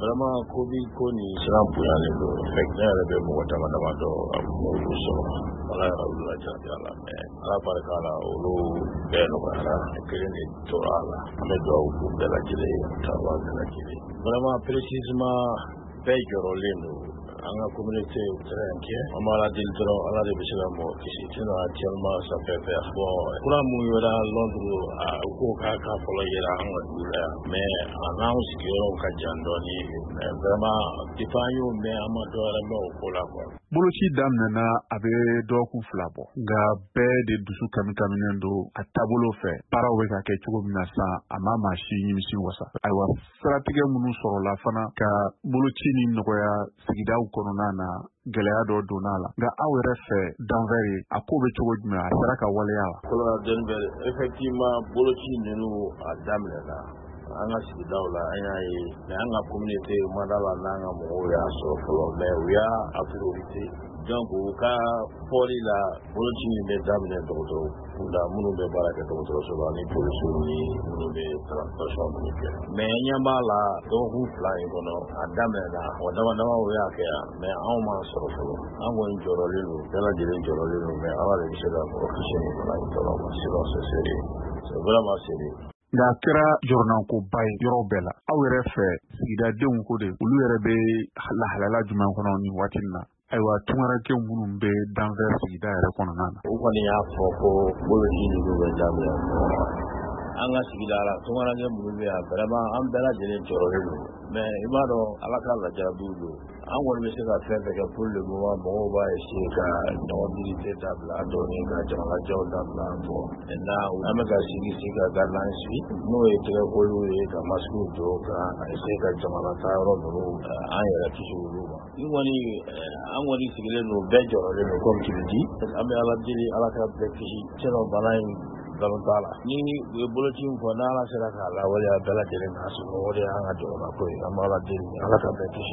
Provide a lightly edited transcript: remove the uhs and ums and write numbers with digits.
Vraiment, Covid ko nin siran bonyalen don. Ne yɛrɛ bɛ mɔgɔ dama dama dɔn a olu sɔrɔ. Ala yɛrɛ olu lajarabi a la, mais Ala barika la, olu bɛɛ nɔgɔyara, kelen de tora a la. An bɛ dugawu k'u bɛɛ lajɛlen ye, taaba bɛɛ lajɛlen. Vraiment, précisément, bɛɛ jɔrɔlen don. An ka communauté est très inquiet. An b'a deli dɔrɔn, Ala de bɛ se ka mɔgɔ kisi, sinon actuellement ça fait peur. Bon, kura mun yera Londres, u ko k'a ka fɔlɔ yera an ka dugu la yan, mais a n'anw sigiyɔrɔw ka jan dɔɔni. Mais vraiment, depuis an y'o mɛn, an ma dɔ wɛrɛ mɛn o ko la quoi. Boloci daminɛna a bɛ dɔgɔkun 2 bɔ, nka bɛɛ de dusu kamikaminen don a taabolo fɛ. Baaraw bɛ ka kɛ cogo min na sisan, a ma maa si nimisi wasa. Ayiwa, siratigɛ minnu sɔrɔla fana ka boloci ni nɔgɔya sigidaw kɔnɔna na, gɛlɛya dɔ donna a la. Nka aw yɛrɛ fɛ Denver ye, a ko bɛ cogo jumɛn? A sera ka waleya wa? Colorado Denver, effectivement, boloci ninnu a daminɛna an ka sigidaw la, an y'a ye, mais an ka communauté ma da la n'an ka mɔgɔw y'a sɔrɔ fɔlɔ, mais u y'a a priorité. Donc u ka fɔli la, boloci in bɛ daminɛ dɔgɔtɔrɔ kunda, minnu bɛ baara kɛ dɔgɔtɔrɔso la, ni polisiw ni minnu bɛ transportation minnu kɛ. Mais n ɲɛ b'a la, dɔgɔkun 2 in kɔnɔ, a daminɛna, mɔgɔ dama damaw y'a kɛ yan, mais anw m'a sɔrɔ fɔlɔ. An kɔni jɔrɔlen don, bɛɛ lajɛlen jɔrɔlen don, mais Ala de bɛ se ka mɔgɔ kisi nin bana in tɔɔrɔ ma, sinon c'est sérieux, c'est vraiment sérieux. Nka a kɛra jɔrɔnankoba ye yɔrɔ bɛɛ la. Aw yɛrɛ fɛ, sigidadenw ko de, olu yɛrɛ bɛ lahalaya jumɛn kɔnɔ nin waati in na? Ayiwa, tunkarankew minnu bɛ Denver sigida yɛrɛ kɔnɔna na. U kɔni y'a fɔ ko boloci ninnu bɛ daminɛ an ka sigida la. Tunkaranke minnu bɛ yan, vraiment, an bɛɛ lajɛlen jɔrɔlen don, mais i b'a dɔn, Ala ka lajarabiw don. An kɔni bɛ se ka fɛn fɛn kɛ pour le moment, mɔgɔw b'a essayer ka ɲɔgɔn visiter dabila dɔɔni, ka jamalajɛw dabila. Bon, maintenant an bɛ ka sigi sigi ka guidelines suit, n'o ye tɛgɛkoliw ye, ka masques don, ka essayer ka jamana taa yɔrɔ ninnu, an yɛrɛ kisi olu ma. Ni kɔni an kɔni sigilen don, bɛɛ jɔrɔlen don. Comme tu le dis, an bɛ Ala deli, Ala ka bɛɛ kisi, sinon bana in nkalon t'a la. Ni u ye boloci in fɔ, n'Ala sera k'a lawaleya, bɛɛ lajɛlen k'a sɔrɔ, o de y'an ka jamana ko ye. An bɛ Ala deli, Ala ka bɛɛ kisi.